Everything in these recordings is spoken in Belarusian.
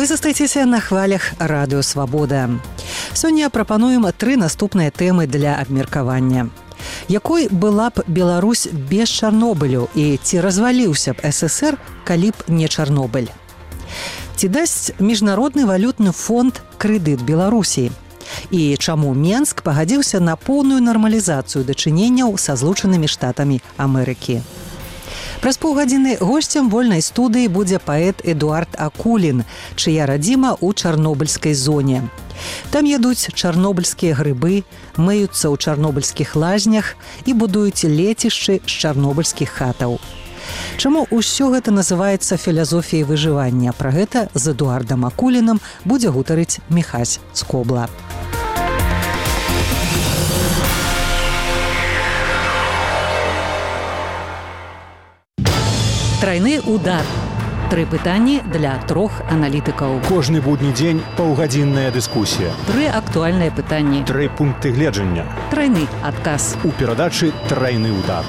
Вы застаецеся на хвалях Радыё Свабода. Сёння прапануем 3 наступныя тэмы для абмеркавання. Якой была б Беларусь без Чарнобылю і ці разваліўся б СССР, калі б не Чарнобыль? Ці дасць Міжнародны валютны фонд крэдыт Беларусі? І чаму Менск пагадзіўся на поўную нармалізацыю дачыненняў са Злучанымі Штатамі Амерыкі? Праз паўгадзіны госцем вольнай студыі будзе паэт Эдуард Акулін, чыя радзіма ў чарнобыльскай зоне. Там ядуць чарнобыльскія грыбы, мыюцца ў чарнобыльскіх лазнях і будуюць лецішчы з чарнобыльскіх хатаў. Чаму ўсё гэта называецца філазофіяй выжывання? Пра гэта з Эдуардам Акулінам будзе гутарыць Міхась Скобла. Трайны удар. 3 пытанні для 3 аналітыкаў. Кожны будні дзень паўгадзінная дыскусія. 3 актуальныя пытанні. 3 пункты гледжання. Трайны адказ. У перадачы «Трайны удар».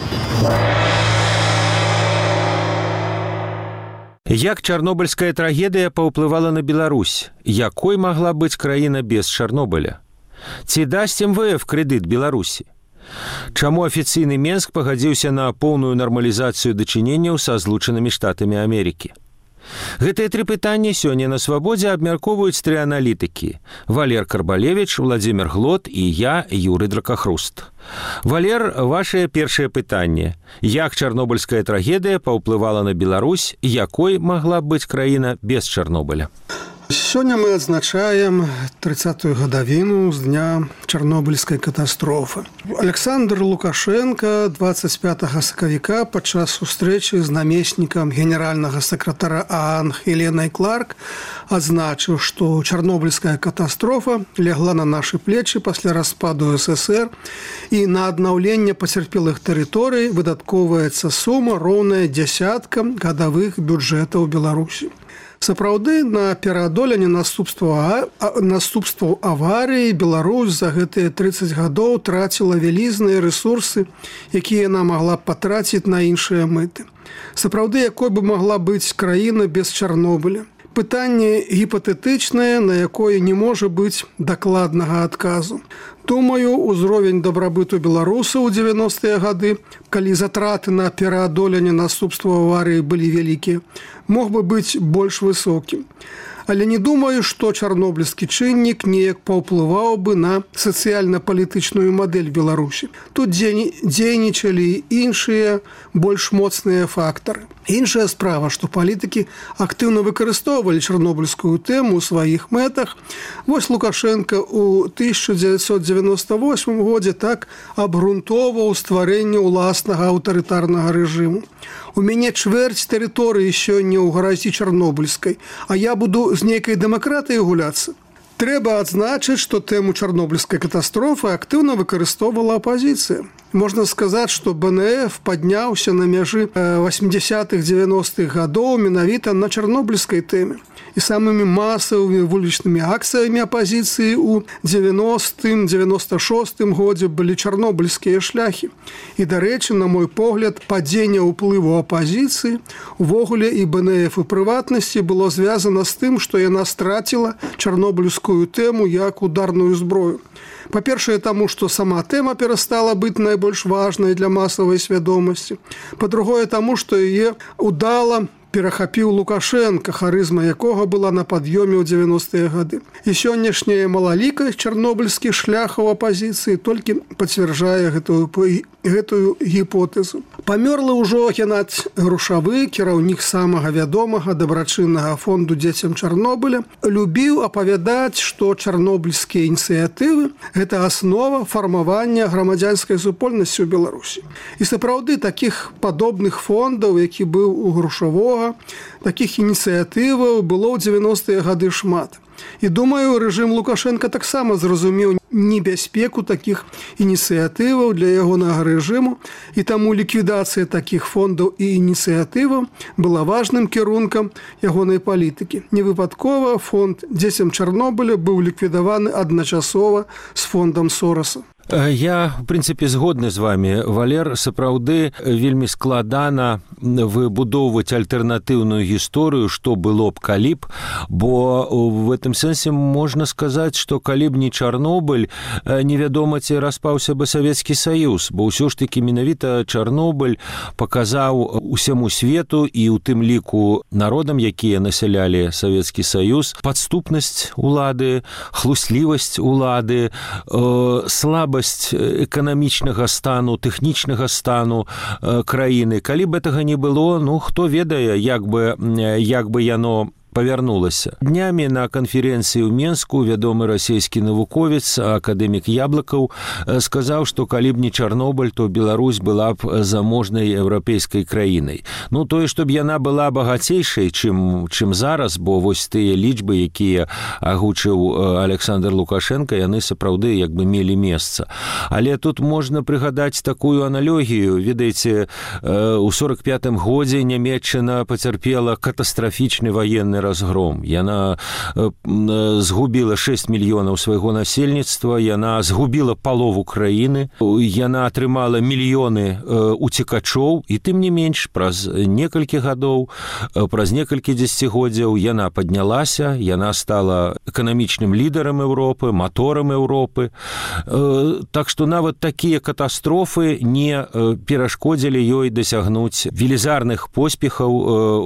Як чарнобыльская трагедыя паўплывала на Беларусь? Якой магла быць краіна без Чарнобыля? Ці дасць МВФ крэдыт Беларусі? Чаму афіцыйны Менск пагадзіўся на поўную нармалізацыю дачыненняў са Злучанымі Штатамі Амерыкі? Гэтыя 3 пытанні сёння на Свабодзе абмяркоўваюць 3 аналітыкі: Валер Карбалевіч, Владзімір Глот і я, Юрый Дракахруст. Валер, ваше першае пытанне. Як чарнобыльская трагедыя паўплывала на Беларусь? Якой магла быць краіна без Чарнобыля? Сёння мы адзначаем 30-ю гадавіну з дня чарнобыльскай катастрофы. Александр Лукашенко 25 сакавіка падчас сустрэчы з намеснікам генеральнага сакратара ААН Хеленай Кларк адзначыў, што чарнобыльская катастрофа лягла на нашы плечы пасля распаду СССР і на аднаўленне пацярпелых тэрыторый выдаткоўваецца сума роўная дзясяткам гадавых бюджэтаў Беларусі. Сапраўды, на пераадоленне наступстваў аварыі Беларусь за гэтыя 30 гадоў траціла вялізныя рэсурсы, якія яна магла б патраціць на іншыя мэты. Сапраўды, якой бы магла быць краіна без Чарнобыля? Пытанне гіпатэтычнае, на якое не можа быць дакладнага адказу. Думаю, узровень дабрабыту беларусаў у 90-е гады, калі затраты на пераадоленне наступстваў аварыі былі вялікія, мог бы быць больш высокім. Але не думаю, што чарнобыльскі чыннік неяк паўплываў бы на сацыяльна-палітычную мадэль Беларусі. Тут дзейнічалі іншыя, больш моцныя фактары. Іншая справа, што палітыкі актыўна выкарыстоўвалі чарнобыльскую тэму ў сваіх мэтах. Вось Лукашенко ў 1998 годзе так абгрунтоўваў стварэнне ўласнага аўтарытарнага рэжыму. У мяне чвэрць тэрыторыі сёння ў гаразі чарнобыльскай, а я буду з нейкай дэмакратыяй гуляцца. Трэба адзначыць, што тэму чарнобыльскай катастрофы актыўна выкарыстоўвала апазіцыя. Можна сказаць, што БНФ падняўся на мяжы 80-х, 90-х гадоў менавіта на чарнобыльскай тэме. І самымі масавымі вулічнымі акцыямі апазіцыі ў 90-м, 96-м годзе былі чарнобыльскія шляхі. І, дарэчы, на мой погляд, падзенне ўплыву апазіцыі, увогуле і БНФ у прыватнасці было звязана з тым, што яна страціла чарнобыльскую тэму як ударную зброю. Па-першае, таму, што сама тэма перастала быць найбольш важнай для масавай свядомасці. Па-другое, таму, што яе удала перахапіў Лукашенко, харызма якога была на пад'ёме ў 90-е гады. І сённяшняя малалікасць чарнобыльскіх шляхаў апазіцыі толькі пацвярджае гэтую гіпотэзу. Памёрлы ўжо Геннадзь Грушавы, кіраўнік самага вядомага дабрачыннага фонду дзецям Чарнобыля, любіў апавядаць, што чарнобыльскія ініцыятывы – гэта аснова фармавання грамадзянскай супольнасці ў Беларусі. І сапраўды такіх падобных фондаў, які быў у Грушавога, такіх ініцыятываў было ў 90-е гады шмат. І думаю, рэжым Лукашенка таксама зразумеў небяспеку такіх ініцыятываў для ягонага рэжыму, і таму ліквідацыя такіх фондаў і ініцыятываў была важным кірункам ягонай палітыкі. Невыпадкова фонд дзецям Чарнобыля быў ліквідаваны адначасова з фондам Сораса. Я, в прынцыпе, згодны з вами, Валер. Сапраўды вельмі складана выбудоўваць альтэрнатыўную гісторыю, што было б калі б, бо в этом сэнсе можна сказаць, што калі б не Чарнобыль, невядома, ці распаўся бы Савецкі Саюз, бо ўсё ж такі менавіта Чарнобыль паказаў усяму свету і ў тым ліку народам, якія насялялі Савецкі Саюз, падступнасць улады, хлуслівасць улады, слабасць эканамічнага стану, тэхнічнага стану краіны. Калі б гэтага не было, ну, хто ведае, як бы яно павярнулася. Днямі на канферэнцыі ў Менску вядомы расійскі навуковец, акадэмік Яблыкаў, сказаў, што калі б не Чарнобыль, то Беларусь была б заможнай еўрапейскай краінай. Ну, тое, што б яна была багацейшай, чым зараз, бо вось тыя лічбы, якія агучыў Александр Лукашенко, яны сапраўды як бы мелі месца. Але тут можна прыгадаць такую аналогію. Ведаеце, у 45-м годзе Нямецчына пацярпела катастрафічны ваенны разгром. Яна згубіла 6 мільёнаў свайго насельніцтва, яна згубіла палову краіны, яна атрымала мільёны уцекачоў, і тым не менш, праз некалькі гадоў, праз некалькі дзесяцігоддзяў яна паднялася, яна стала эканамічным лідарам Еўропы, маторам Еўропы. Так што нават такія катастрофы не перашкодзілі ёй дасягнуць велізарных поспехаў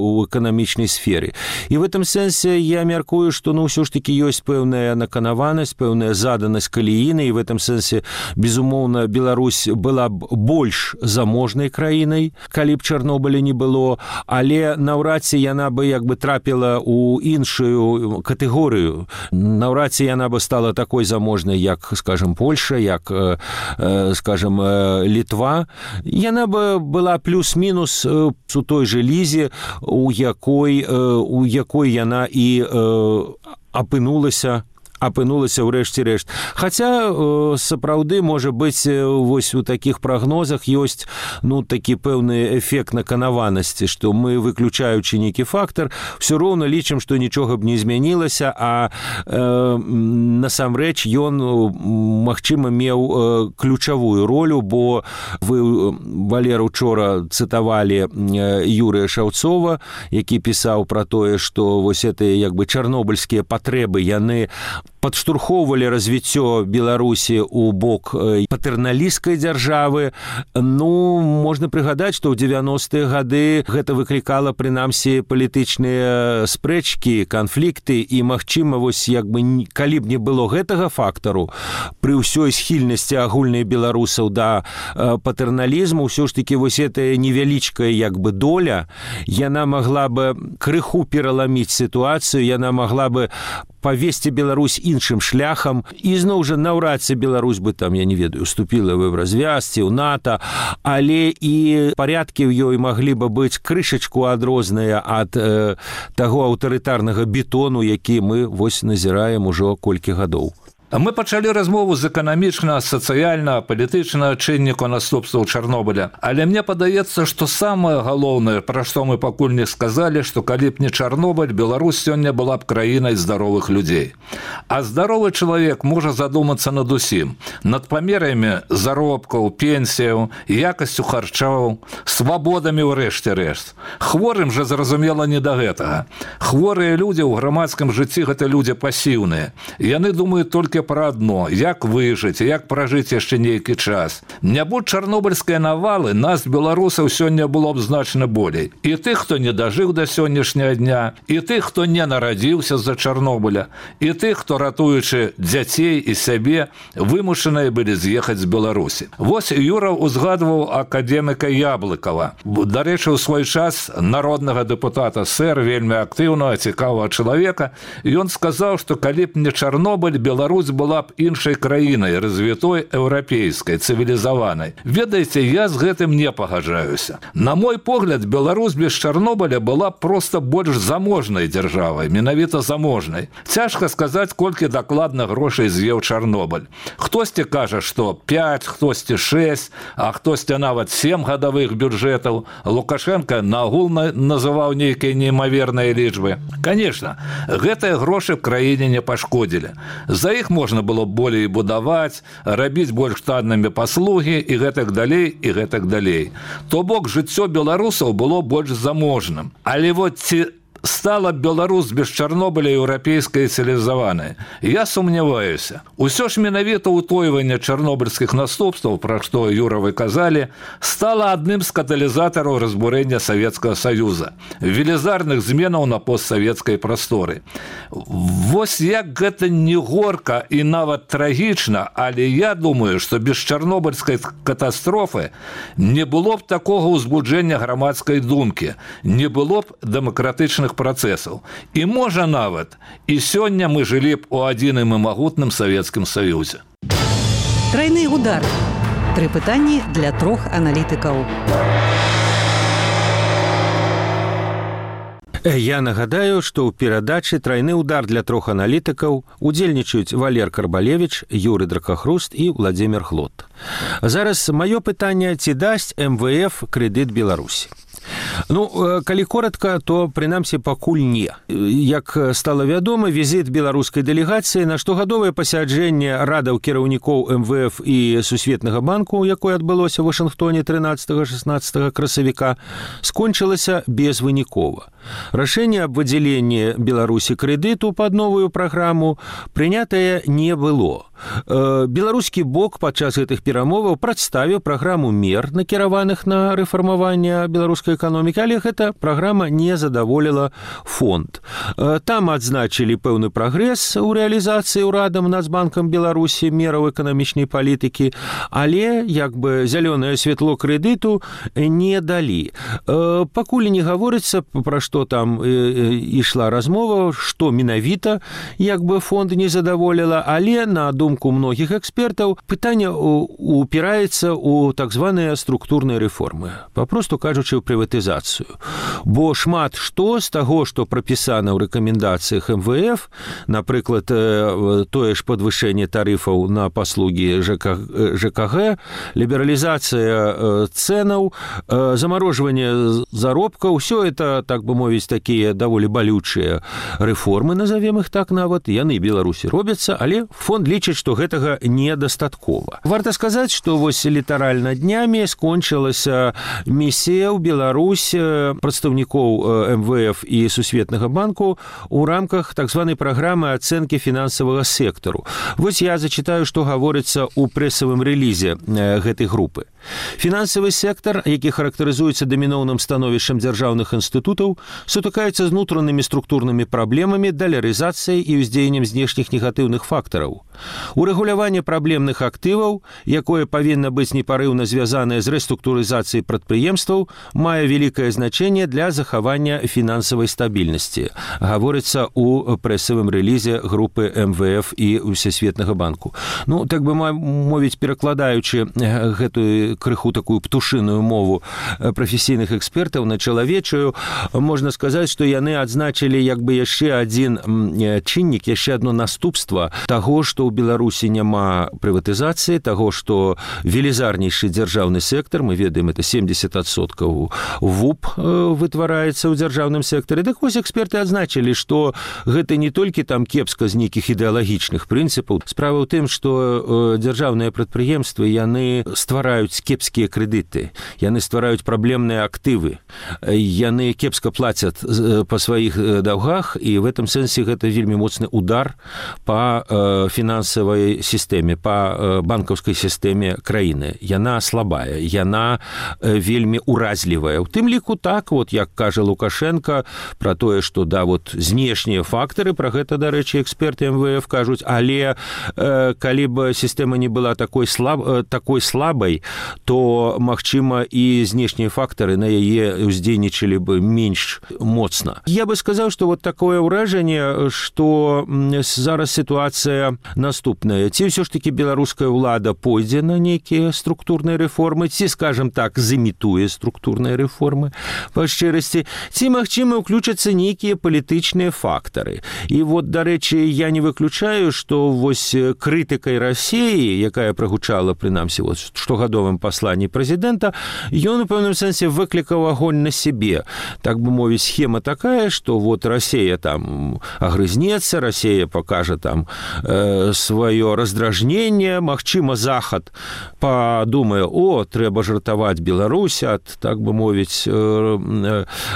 у эканамічнай сферы. І в этом сэнсе я мяркую, што ўсё ж такі ёсць пэўная наканаванасць, пэўная заданасць калііны, і в этом сэнсе, безумоўна, Беларусь была б больш заможнай краінай, калі б Чарнобыля не было, але наўрад ці яна бы як бы трапіла ў іншую катэгорыю. Наўрад ці яна бы стала такой заможнай, як, скажем, Польша, як, скажем, Літва. Яна бы была плюс-мінус у той же лізе, у якой яна і апынулася ўрэшце рэшт. Хаця сапраўды, можа быць, вось у такіх прагнозах ёсць такі пэўны эфект наканаванасці, што мы, выключаючы нейкі фактар, все роўна лічым, што нічога б не змянілася, а насамрэч ён, магчыма, меў ключавую ролю, бо вы, Валер, учора цытавалі Юрыя Шаўцова, які пісаў пра тое, што вось гэтыя як бы чарнобыльскія патрэбы, яны падштурхоўвалі развіццё Беларусі ў бок патэрналісцкай дзяржавы. Можна прыгадаць, што ў 90-е гады гэта выклікала, прынамсі, палітычныя спрэчкі, канфлікты, і, магчыма, вось як бы калі б не было гэтага фактару, пры ўсёй схільнасці агульнай беларусаў да патэрналізму, ўсё ж такі вось гэтая невялічкая як бы доля, яна магла бы крыху пераламіць сітуацыю, яна магла бы павесці Беларусь іншым шляхам, і зноў жа наўрад ці Беларусь бы там, я не ведаю, уступіла в Еўразвяз ці ў НАТО, але і парядкі ў ёй маглі бы быць крышачку адрозныя ад таго аўтарытарнага бетону, які мы вось назіраем ужо колькі гадоў. Мы пачалі размову з эканамічна, сацыяльна, палітычнага чынніку наступстваў Чарнобыля. Але мне падаецца, што самае галоўнае, пра што мы пакуль не сказалі, што калі б не Чарнобыль, Беларусь сёння была б краінай здаровых людзей. А здаровы чалавек можа задумацца над усім. Над памерамі заробкаў, пенсіяў, якасцю харчоў, свабодамі ў рэшце рэшт. Хворым жа, зразумела, не да гэтага. Хворыя людзі ў грамадскім жыцці – гэта людзі пасіўныя. Яны думаюць толькі пра адно, як выжыць, як пражыць яшчэ нейкі час. Не будь чарнобыльскай навалы, нас, беларусаў, сёння было б значна болей. І тых, хто не дажыў да сённяшняга дня, і тых, хто не нарадзіўся з-за Чарнобыля, і тых, хто, ратуючы дзяцей і сябе, вымушаныя былі з'ехаць з Беларусі. Вось Юра узгадваў акадэміка Яблыкава. Дарэчы, у свой час народнага дэпутата ССР, вельмі актыўнага, цікавага чалавека, ён сказаў, што калі б не Чарнобыль, Беларусь была б іншай краінай, развітой, еўрапейскай, цывілізаванай. Ведаеце, я з гэтым не пагаджаюся. На мой погляд, Беларусь без Чарнобыля была б проста больш заможнай дзяржавай, менавіта заможнай. Цяжка сказаць, колькі колькі дакладна грошай з'еў Чарнобыль. Хтосьці кажа, што 5, хтосьці 6, а хтосьці нават 7 гадавых бюджэтаў. Лукашенко нагул называў нейкія неймаверныя лічбы. Конечно, гэтыя грошы в краіне не пашкодзілі. За іх можна было болей будаваць, рабіць больш таннымі паслугі і гэтак далей, і гэтак далей. То бок жыццё беларусаў было больш заможным. Але вот ці стала Беларусь без Чарнобыля еўрапейскай цывілізаванай? Я сумняваюся. Усё ж менавіта ўтойванне чарнобыльскіх наступстваў, пра што Юра вы казалі, стала адным з каталізатараў разбурэння Савецкага Саюза, велізарных зменаў на постсавецкай прасторы. Вось як гэта не горка і нават трагічна, але я думаю, што без чарнобыльскай катастрофы не было б такога ўзбуджэння грамадскай думкі, не было б дэмакратычных працэсаў. І можа нават, і сёння мы жылі б у адзіным і магутным Савецкім Саюзе. Трайны удар. 3 пытанні для 3 аналітыкаў. Я нагадаю, што ў перадачы «Трайны удар» для 3 аналітыкаў удзельнічаюць Валер Карбалевіч, Юрый Дракахруст і Владзімир Хлот. Зараз маё пытанне, ці дасць МВФ крэдыт Беларусі? Калі коротка, то, прынамсі, пакуль не. Як стала вядома, візіт беларускай дэлегацыі на штогадовае пасяджэнне радаў кіраўнікоў МВФ і Сусветнага банку, якое адбылося ў Вашынгтоне 13-16 красавіка, скончылася безвынікова. Рашэнне аб выдзяленні Беларусі крэдыту пад новую праграму прынятае не было. Беларускі бок падчас гэтых перамоваў прадставіў праграму мер, накіраваных на рэфармаванне беларускай эканомікі, але гэта праграма не задаволіла фонд. Там адзначылі пэўны прагрэс у рэалізацыі ўрадам Нацбанкам Беларусі мераў эканамічнай палітыкі, але зялёнае святло крэдыту не далі. Пакуль не гаворыцца, пра што там ішла размова, што менавіта фонд не задаволіла, але на думку многіх экспертаў, пытанне упіраецца ў так званыя структурныя рэформы, папросту кажучы, ў прыватызацыю. Бо шмат што з таго, што прапісана ў рэкамендацыях МВФ, напрыклад, тое ж падвышэнне тарыфаў на паслугі ЖКГ, лібералізацыя цэнаў, замарожванне заробкаў, усё это, так бы мовіць, такія даволі балючыя рэформы, назовем іх так нават, яны Беларусі робяцца, але фонд лічыць, што гэтага недастаткова. Варта сказаць, што вось літаральна днямі скончылася місія ў Беларусь прадстаўнікоў МВФ і Сусветнага банку ў рамках так званай праграмы ацэнкі фінансавага сектару. Вось я зачытаю, што гаворыцца ў прэсавым рэлізе гэтай групы. Фінансавы сектар, які характарызуецца даміноўным становішчам дзяржаўных інстытутаў, сутыкаецца з унутранымі структурнымі праблемамі, далярызацыяй і ўздзеяннем знешніх негатыўных фактараў. Урэгуляванне праблемных актываў, якое павінна быць непарыўна звязанае з рэструктурызацыяй прадпрыемстваў, мае вялікае значэнне для захавання фінансавай стабільнасці, гаворыцца ў прэсавым рэлізе групы МВФ і Всесветнага банку. Так бы мовіць, перакладаючы гэтую крыху такую птушыную мову прафесійных экспертаў на чалавечую, можна сказаць, што яны адзначылі яшчэ адзін чыннік, яшчэ адно наступства таго, што ў Беларусі няма прыватызацыі, таго, што велізарнейшы дзяржаўны сектар, мы ведаем, это 70% ВУП вытвараецца ў дзяржаўным сектары. Так вось эксперты адзначылі, што гэта не толькі там кепска з нейкіх ідэалагічных прынцыпаў. Справа ў тым, што дзяржаўныя прадпрыемствы, яны ствараюць кепскія крэдыты, яны ствараюць праблемныя актывы, яны кепска плацяць па сваіх даўгах, і в этом сэнсе гэта вельмі моцны удар па фінансавай сістэме, па банкаўскай сістэме краіны. Яна слабая, яна вельмі уразлівая. У тым ліку так, як кажа Лукашенко, пра тое, што знешнія фактары, пра гэта, дарэчы, эксперты МВФ кажуць, але калі б сістэма не была такой слабай, то, магчыма, і знешнія фактары на яе ўздзейнічалі бы менш моцна. Я бы сказаў, што вот такое ўражанне, што зараз сітуацыя наступная. Ці ўсё ж такі беларуская ўлада пойдзе на нейкія структурныя рэформы, ці, скажем так, зімітуе структурныя рэформы па шчырасці, ці, магчыма, уключацца нейкія палітычныя фактары. І вот, дарэчы, я не выключаю, што вось крытыкай Расіі, якая прагучала, прынамсі, вот, штогадовым пасланні прэзідэнта, ён у пэўным сэнсе выклікаў агонь на сябе. Так бы мовіць, схема такая, што вот Расія там агрызнецца, Расія пакажа там сваё раздражненне, магчыма, Захад падумае, трэба жартаваць Беларусь ад, так бы мовіць,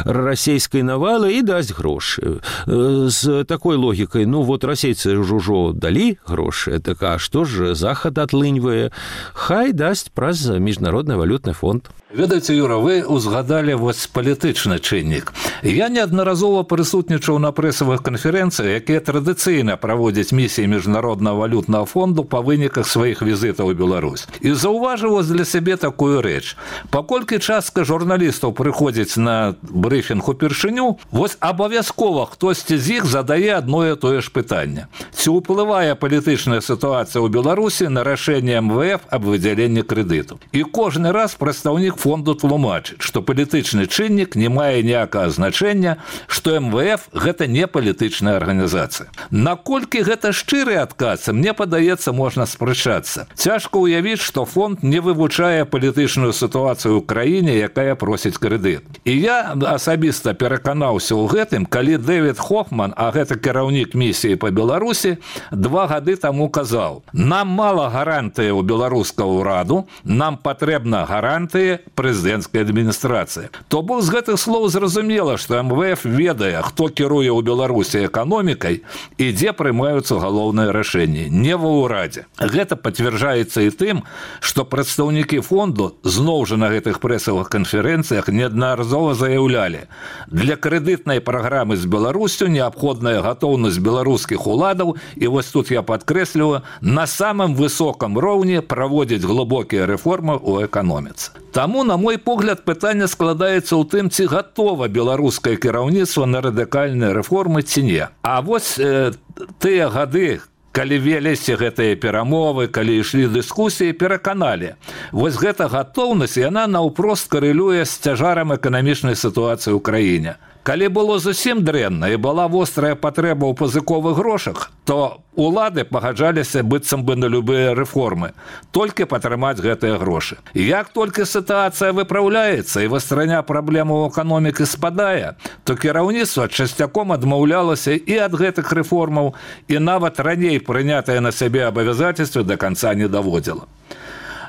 расійскай навалы і дасць грошы. З такой логікай, вот расейцы ўжо далі грошы, так а што ж Захад атлыньвае? Хай дасць праз міжнародны валютны фонд. Ведаеце, Юра, вы узгадалі вось палітычны чыннік. Я неаднаразова прысутнічаў на прэсавых канферэнцыях, якія традыцыйна праводзяць місіі міжнароднага валютнага фонду па выніках сваіх візітаў у Беларусь. І заўважыў для сябе такую рэч. Паколькі частка журналістаў прыходзіць на брыфінг упершыню, вось абавязкова хтосьці з іх задае адно і тое ж пытанне. Ці ўплывае палітычная сітуацыя ў Беларусі на рашэнне МВФ аб выдзяленні крэдыту? І кожны раз прадстаўнік фонду тлумачыць, што палітычны чыннік не мае ніякага значэння, што МВФ – гэта не палітычная арганізацыя. Наколькі гэта шчыры адказ, мне падаецца, можна спрачацца. Цяжка ўявіць, што фонд не вывучае палітычную сітуацыю ў краіне, якая просіць крэдыт. І я асабіста пераканаўся ў гэтым, калі Дэвід Хофман, а гэта кіраўнік місіі па Беларусі, 2 гады таму казаў: нам мала гарантыі ў беларускага ўраду, нам патрэбна гарантыі прэзідэнцкай адміністрацыі. То бок з гэтых слоў зразумела, што МВФ ведае, хто кіруе ў Беларусі эканомікай і дзе прымаюцца галоўныя рашэнні. Не ва ўрадзе. Гэта пацвярджаецца і тым, што прадстаўнікі фонду зноў жа на гэтых прэсавых канферэнцыях неаднаразова заяўлялі: для крэдытнай праграмы з Беларусю неабходная гатоўнасць беларускіх уладаў, і вось тут я падкрэсліваю, на самым высокам роўні праводзіць глыбокія рэформы ў эканоміцы. Таму, на мой погляд, пытанне складаецца ў тым, ці гатова беларускае кіраўніцтва на радыкальныя рэформы ці не. А вось тыя гады, калі веліся гэтыя перамовы, калі ішлі дыскусіі, пераканалі. Вось гэта гатоўнасць, яна наўпрост карэлюе з цяжарам эканамічнай сітуацыі ў краіне. Калі было зусім дрэнна і была вострая патрэба ў пазыковых грошах, то улады пагаджаліся быццам бы на любыя рэформы, толькі падтрымаць гэтыя грошы. Як толькі сітуацыя выпраўляецца і вастраня праблемаў эканомікі спадае, то кіраўніцтва часцяком адмаўлялася і ад гэтых рэформаў, і нават раней прынятыя на сябе абавязацельствы да канца не даводзіла.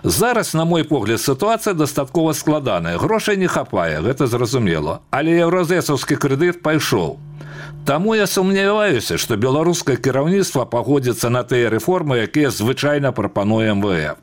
Зараз, на мой погляд, сітуацыя дастаткова складаная. Грошай не хапае, гэта зразумела. Але еўразэсаўскі крэдыт пайшоў. Таму я сумняваюся, што беларускае кіраўніцтва пагодзіцца на тыя рэформы, якія звычайна прапануе МВФ.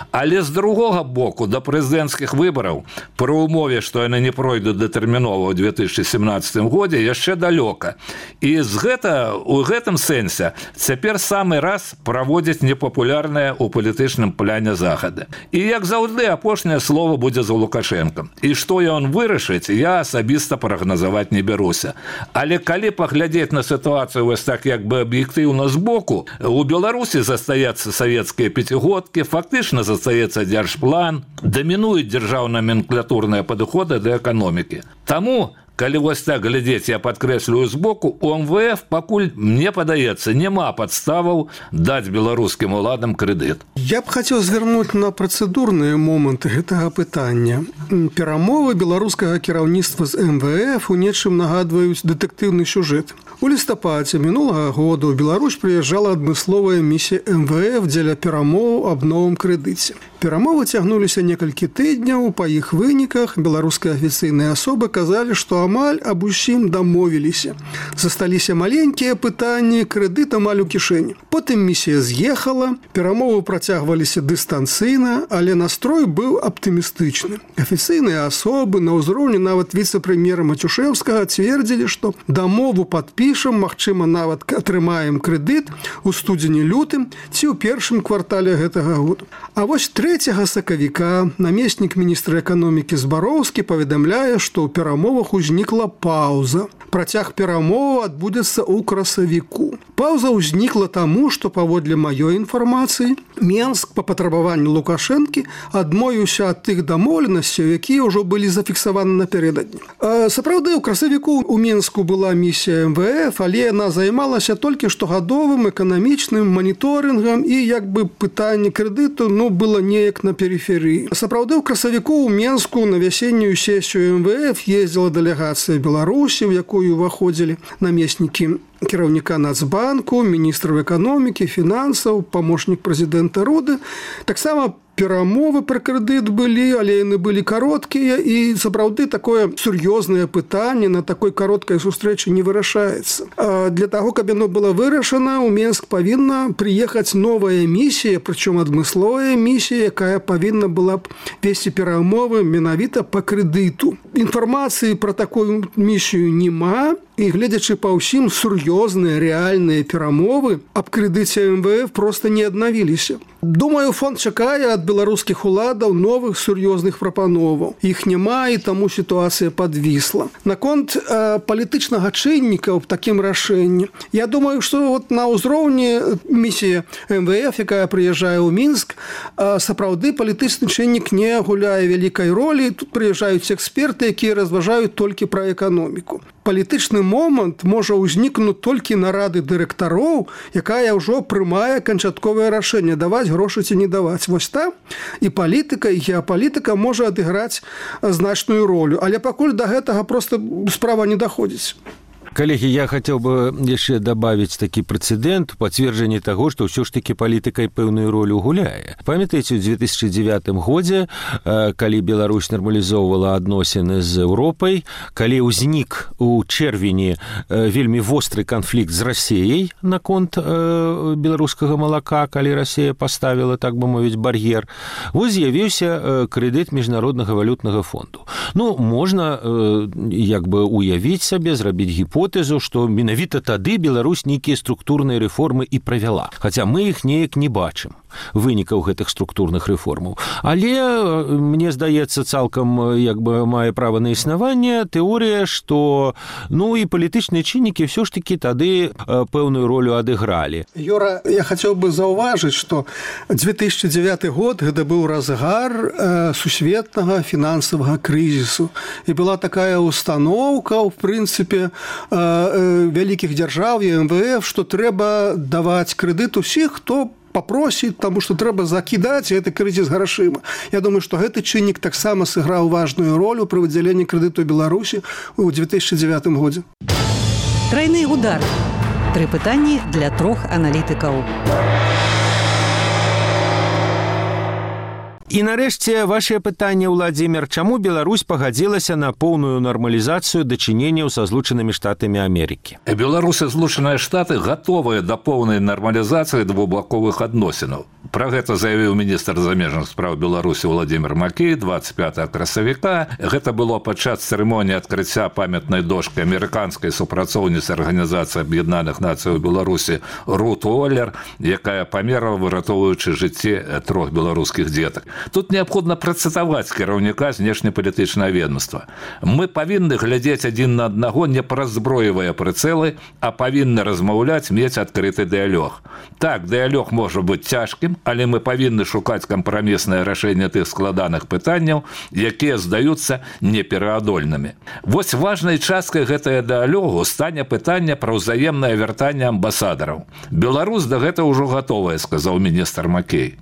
Але з другога боку, да прэзідэнцкіх выбараў, пры умове, што яны не пройдуць датэрмінова ў 2017 годзе, яшчэ далёка. І у гэтым сэнсе цяпер самы раз праводзіць непапулярныя ў палітычным пляне захады. І як заўжды, апошняе слово будзе за Лукашэнкам. І што ён вырашыць, я асабіста прагназаваць не бяруся. Але калі паглядзець на сітуацыю вось так як бы аб'ектыўна збоку, у Беларусі застаюцца савецкія пяцігодкі, фактычна застаецца дзяржплан, дамінуюць дзяржаўна-наменклатурныя падыходы да эканомікі. Таму, калі вось так глядзець, я падкрэслюю збоку, у МВФ пакуль, мне падаецца, няма падставаў даць беларускім уладам крэдыт. Я б хацеў звярнуць на працэдурныя моманты гэтага пытання. Перамовы беларускага кіраўніцтва з МВФ у нечым нагадваюць дэтэктыўны сюжэт. У лістападзе мінулага года ў Беларусь прыязджала адмысловая місія МВФ дзеля перамоў аб новым крэдыце. Перамовы цягнуліся некалькі тыдняў, па іх выніках беларускія афіцыйныя асобы казалі, што амаль аб усім дамовіліся. Засталіся маленькія пытанні, крэдыт амаль у кішэні. Потым місія з'ехала, перамовы працягваліся дыстанцыйна, але настрой быў аптымістычны. Афіцыйныя асобы на ўзроўні нават віцэ-прэм'ера Матюшэўскага цвердзілі, што дамову падпішуць падпішам, магчыма, нават атрымаем крэдыт у студзені-лютым ці ў першым квартале гэтага года. А вось 3 сакавіка намеснік міністра эканомікі Збароўскі паведамляе, што ў перамовах узнікла паўза. Працяг перамоваў адбудзецца ў красавіку. Паўза ўзнікла таму, што паводле маёй інфармацыі Менск па патрабаванню Лукашэнкі адмовіўся ад тых дамоўленасцяў, якія ўжо былі зафіксаваны напярэдадні. Сапраўды, у красавіку у Менску была місія МВФ, але яна займалася толькі штогадовым эканамічным маніторынгам і як бы пытанне крэдыту было неяк на перыферыі. Сапраўды, у красавіку у Менску на вясеннюю сесію МВФ ездзіла дэлегацыя Беларусі, у якую ўваходзілі намеснікі кіраўніка Нацбанку, міністраў эканомікі, фінансаў, памочнік прэзідэнта Руды. Таксама перамовы пра крэдыт былі, але яны былі кароткія, і сапраўды такое сур'ёзнае пытанне на такой кароткай сустрэчы не вырашаецца. Для таго, каб яно было вырашана, у Менск павінна прыехаць новая місія, прычым адмысловая місія, якая павінна была б весці перамовы менавіта па крэдыту. Інфармацыі пра такую місію няма, і гледзячы па ўсім, сур'ёзныя рэальныя перамовы аб крэдыце МВФ проста не аднавіліся. Думаю, фонд чакае ад беларускіх уладаў новых сур'ёзных прапановаў. Іх няма, і таму сітуацыя падвісла. Наконт палітычнага чынніка ў такім рашэнні, я думаю, што на ўзроўні місіі МВФ, якая прыязджае ў Мінск, сапраўды палітычны чыннік не гуляе вялікай ролі. Тут прыязджаюць эксперты, якія разважаюць толькі пра эканоміку. Палітычны момант можа ўзнікнуць толькі на рады дырэктароў, якая ўжо прымае канчатковае рашэнне, даваць грошы ці не даваць. Вось там і палітыка, і геапалітыка можа адыграць значную ролю. Але пакуль да гэтага проста справа не даходзіць. Коллеги, я хотел бы еще добавить такі прэцэдэнт, пацверджанне таго, што ўсё ж такі палітыкай пэўную ролю гуляе. Памятаеце, ў 2009 годзе, калі Беларусь нармалізоўвала адносіны з Еўропай, калі ўзнік у чэрвені вельмі востры канфлікт з Расіяй наконт беларускага малака, калі Расія паставіла, так бы мовіць, бар'ер, вось з'явіўся крэдыт Міжнароднага валютнага фонду. Можна як бы уявіць сабе, зрабіць гіпотэзу, што менавіта тады Беларусь нейкія структурныя рэформы і правяла. Хаця мы іх неяк не бачым, вынікаў гэтых структурных рэформаў. Але, мне здаецца, цалкам як бы мае права на існаванне тэорыя, што і палітычныя чыннікі ўсё ж такі тады пэўную ролю адыгралі. Юра, я хацеў бы заўважыць, што 2009 год гэта быў разгар сусветнага фінансавага крызісу. І была такая установка, в прынцыпе, вялікіх дзяржаў і МВФ, што трэба даваць крэдыт усіх, хто попросіць, таму што трэба закідаць гэты крызіс грашыма. Я думаю, што гэты чыннік таксама сыграў важную ролю пры выдзяленні крэдыту Беларусі ў 2009 годзе. Трайны удар. 3 пытанні для 3 аналітыкаў. І нарэшце вашае пытанне, Владзімир, чаму Беларусь пагадзілася на поўную нармалізацыю дачыненняў са Злучанымі Штатамі Амерыкі? Беларусь і Злучаныя Штаты гатовыя да поўнай нармалізацыі двухбаковых адносінаў. Пра гэта заявіў міністр замежных спраў Беларусі Владзімир Макей 25 красавіка. Гэта было падчас цырымоніі адкрыцця памятнай дошкі амерыканскай супрацоўніцы Арганізацыі Аб'яднаных Нацый у Беларусі Рут Уоллер, якая памерла, выратоўваючы жыцці 3 беларускіх дзетак. Тут неабходна працытаваць кіраўніка знешнепалітычнага ведомства. Мы павінны глядзець адзін на аднаго не праз зброевыя прыцэлы, а павінны размаўляць, мець адкрыты дыялог. Так, дыялог можа быць цяжкім, але мы павінны шукаць кампраміснае рашэнне тых складаных пытанняў, якія здаюцца непераадольнымі. Вось важнай часткай гэтага дыялогу стане пытанне пра ўзаемнае вяртанне амбасадараў. Беларусь да гэта ўжо гатовая, сказаў міністр Макей.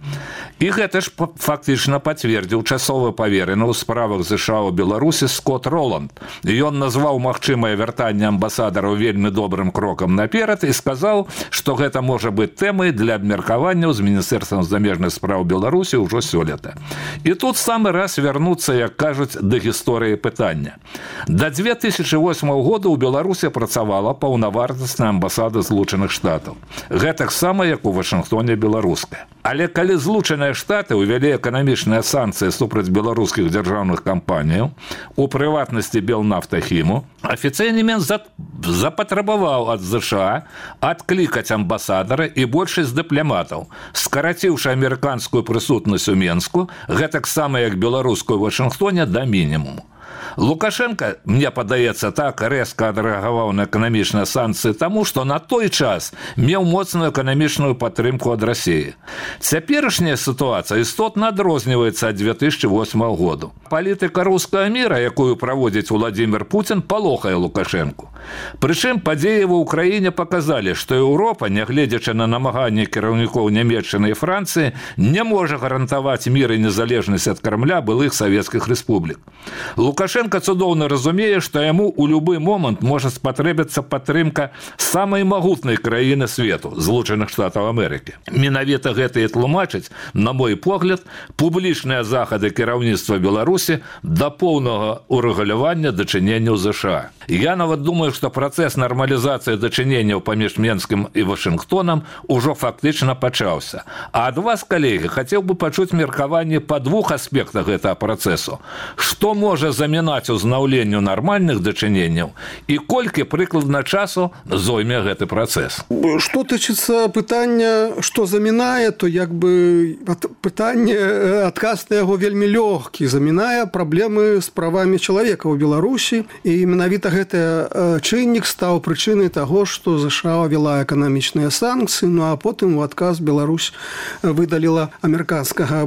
І гэта ж фактычна пацвердзіў часовы паверены ў справах ЗША ў Беларусі Скотт Роланд. Ён назваў магчымае вяртанне амбасадараў вельмі добрым крокам наперад і сказаў, што гэта можа быць тэмай для абмеркаванняў з Міністэрствам замежных спраў Беларусі ўжо сёлета. І тут самы раз вярнуцца, як кажуць, да гісторыі пытання. Да 2008 года ў Беларусі працавала паўнавартасная амбасада Злучаных Штатаў. Гэтак сама, як у Вашынгтоне беларуская. Але калі Злучаныя Штаты ўвялі эканамічныя санкцыі супраць беларускіх дзяржаўных кампаніяў, у прыватнасці Белнафтахіму, афіцыйны Мінск запатрабаваў ад ЗША адклікаць амбасадара і большасць дыпламатаў, скараціўшы амерыканскую прысутнасць у Менску, гэтаксама як беларускую ў Вашынгтоне, да мінімуму. Лукашенко, мне падаецца, так рэзка адрэагаваў на эканамічныя санкцыі таму, што на той час меў моцную эканамічную падтрымку ад Расіі. Цяперашняя сітуацыя істотна адрозніваецца ад 2008 году. Палітыка рускага міра, якую праводзіць Владзімір Пуцін, палохае Лукашенку. Прычым падзеі ва ўкраіне паказалі, што Еўропа, нягледзячы на намаганні кіраўнікоў Нямецчыны і Францыі, не можа гарантаваць мір і незалежнасць ад Крамля былых савецкіх рэспублік. Лукашенко цудоўна разумее, што яму ў любы момант можа спатрэбіцца падтрымка самай магутнай краіны свету, Злучаных Штатаў Амерыкі. Менавіта гэта і тлумачыць, на мой погляд, публічныя захады кіраўніцтва Беларусі да поўнага урэгулявання дачыненняў ЗША. Я нават думаю, што працэс нармалізацыі дачыненняў паміж Менскім і Вашынгтонам ужо фактычна пачаўся. А ад вас, калегі, хацеў бы пачуць меркаванне па двух аспектах гэтага працэсу. Што можа замінаць узнаўленню нармальных дачыненняў і колькі прыкладна часу зойме гэты працэс? Што тычыцца пытання, што замінае, то як бы пытанне, адказ на яго вельмі лёгкі. Замінае праблемы з правамі чалавека ў Беларусі, і менавіта гэты чыннік стаў прычынай таго, што ЗША ввела эканамічныя санкцыі, ну а потым у адказ Беларусь выдаліла амерыканскага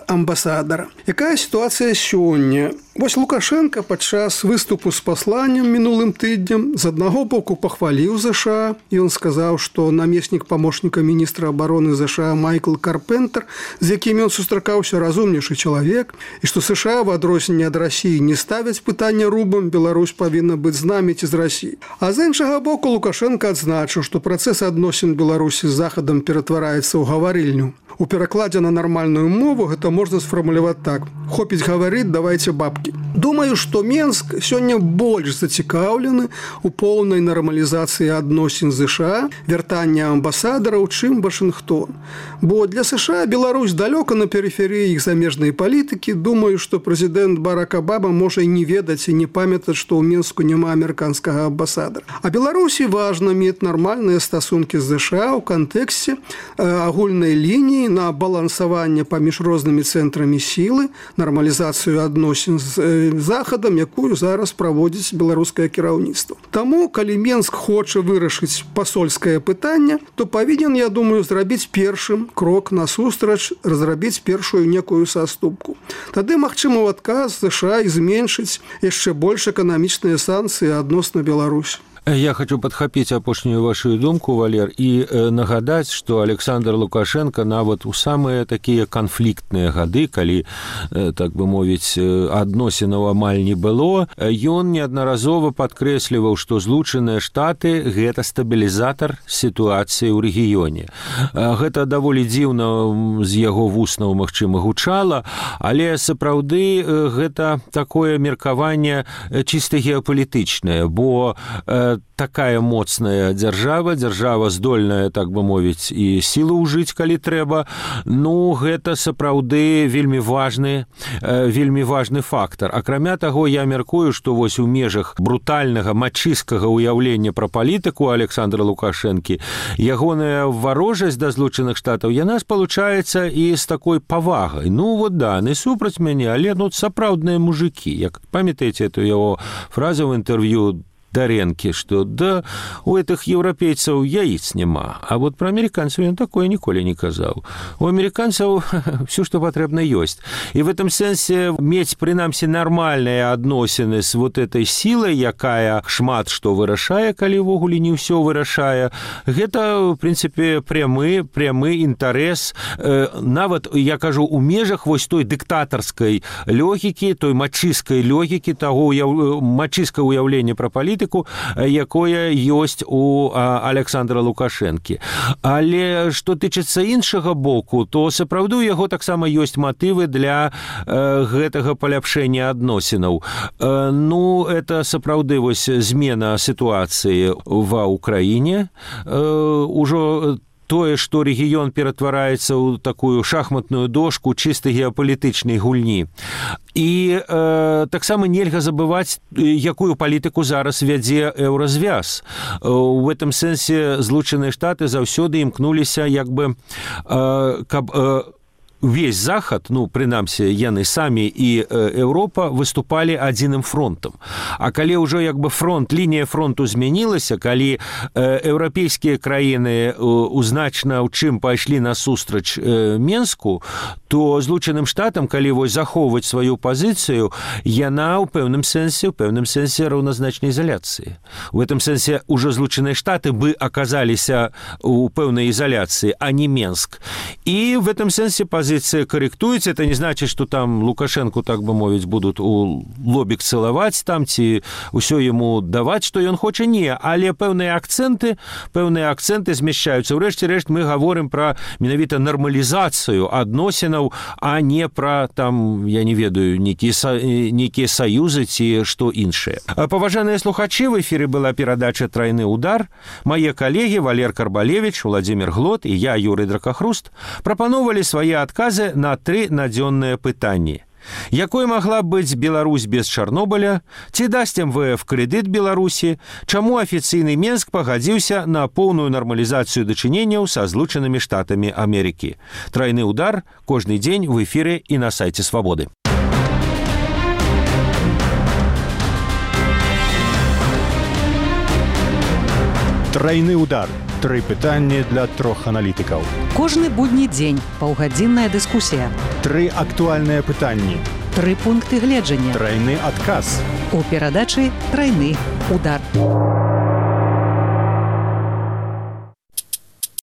амбасадара. Якая сітуацыя сёння? Вось Лукашенко падчас выступу з пасланнем мінулым тыднем з аднаго боку пахваліў ЗША, і ён сказаў, што намеснік памочніка міністра абароны ЗША Майкл Карпентер, з якім ён сустракаўся, разумнейшы чалавек, і што США в адрозненне ад Расіі не ставяць пытання рубам, Беларусь павінна быць з намі ці з Расіі. А з іншага боку Лукашенко адзначыў, што працэс адносін Беларусі з Захадам ператвараецца ў гаварыльню. У перакладзе на нармальную мову гэта можна сфармуляваць так: хопіць гаварыць, давайце бабкі. Думаю, што Менск сёння больш зацікаўлены у поўнай нармалізацыі адносін з ЗША, вяртання амбасадараў, чым Вашынгтон. Бо для США Беларусь далёка на перыферыі іх замежнай палітыкі. Думаю, што прэзідэнт Барак Абама можа і не ведаць і не памятаць, што ў Менску няма амерыканскага амбасадара. А Беларусі важна мець нармальныя стасункі з ЗША ў кантэксце агульнай лініі на балансаванне паміж рознымі цэнтрамі сілы, нармалізацыю адносін з Захадам, якую зараз праводзіць беларускае кіраўніцтва. Таму, калі Менск хоча вырашыць пасольскае пытанне, то павінен, я думаю, зрабіць першым крок насустрач, разрабіць першую некую саступку. Тады, магчыма, ў адказ ЗША і зменшыць яшчэ больш эканамічныя санкцыі адносна Беларусі. Я хочу падхапіць апошнюю вашу думку, Валер, і нагадаць, што Александр Лукашенко нават у самыя такія канфліктныя гады, калі, так бы мовіць, адносінаў амаль не было, ён неаднаразова падкрэсліваў, што Злучаныя Штаты – гэта стабілізатар сітуацыі ў рэгіёне. Гэта даволі дзіўна з яго вуснаў, магчыма, гучала, але сапраўды гэта такое меркаванне чыста геапалітычнае, бо такая моцная дзяржава здольная, так бы мовіць, і сілу ўжыць, калі трэба. Ну, гэта сапраўды вельмі важны фактар. Акрамя таго, я мяркую, што вось у межах брутальнага, мачысткага ўяўлення пра палітыку Александра Лукашэнкі ягоная варожасць да Злучаных Штатаў, яна спалучаецца і з такой павагай. Ну, вот да, не супраць мяне, але сапраўдныя мужыкі. Як памятаеце эту яго фразу в інтэрв'ю Даренкі, што да, у гэтых еўрапейцаў яіц няма. А вот пра амерыканцаў ён такое ніколі не казаў. У амерыканцаў все, што патрэбна, ёсць. І в этом сэнсе мець, прынамсі, нармальныя адносіны з вот этой сілай, якая шмат што вырашае, калі ўвогуле не ўсё вырашае, гэта, в прынцыпе, прямы інтарэс. Нават, я кажу, у межах вось той дыктатарскай логікі, той мачысткай логікі, таго мачысткага ўяўлення пра палітыку, якое ёсць у Александра Лукашэнкі. Але што тычыцца іншага боку, то сапраўды у яго таксама ёсць матывы для гэтага паляпшэння адносінаў. Ну, это сапраўды вось змена сітуацыі ва ўкраіне. Ужо тое, што рэгіён ператвараецца ў такую шахматную дошку чыста геапалітычнай гульні. І таксама нельга забываць, якую палітыку зараз вядзе еўразвяз. У гэтым сэнсе Злучаныя Штаты заўсёды імкнуліся, як бы, каб весь захад, ну, прынамсі, яны самі і Еўропа выступалі адзіным фронтам. А калі ўжо, як бы, лінія фронту змянілася, калі еўрапейскія краіны значна ў чым пайшлі насустрач Менску, то Злучаным Штатам, калі вось захоўваць сваю пазіцыю, яна ў пэўным сэнсе раўназначнай ізаляцыі. У гэтым сэнсе ўжо Злучаныя Штаты бы аказаліся ў пэўнай ізаляцыі, а не Менск. І в гэтым сэнсе пазіцыя корректуется. Это не значит, что там Лукашенко, так бы мовить, будут у лобик целовать там, ці ўсё ему давать, что он хочет. Не, але пэўныя акценты змяшчаюцца. Урэшце рэшт мы говорим про менавіта нормализацию адносінаў, а не про там, я не ведаю, некие союзы ці што іншае. Паважаныя слухачы, в эфире была перадача «Тройны удар». Мае коллеги Валер Карбалевич, Владимир Глот и я, Юрий Дракахруст, прапановалі свае адказы на 3 надзённыя пытанні. Якой магла быць Беларусь без Чарнобыля? Ці дасць МВФ крэдыт Беларусі? Чаму афіцыйны Менск пагадзіўся на поўную нармалізацыю дачыненняў са Злучанымі Штатамі Амерыкі? Тройны удар кожны дзень в эфире і на сайце Свабоды. Тройны удар. 3 пытанні для 3 аналітыкаў. Кожны будні дзень паўгадзінная дыскусія. 3 актуальныя пытанні. 3 пункты гледжання. Тройны адказ. У перадачы «Тройны удар».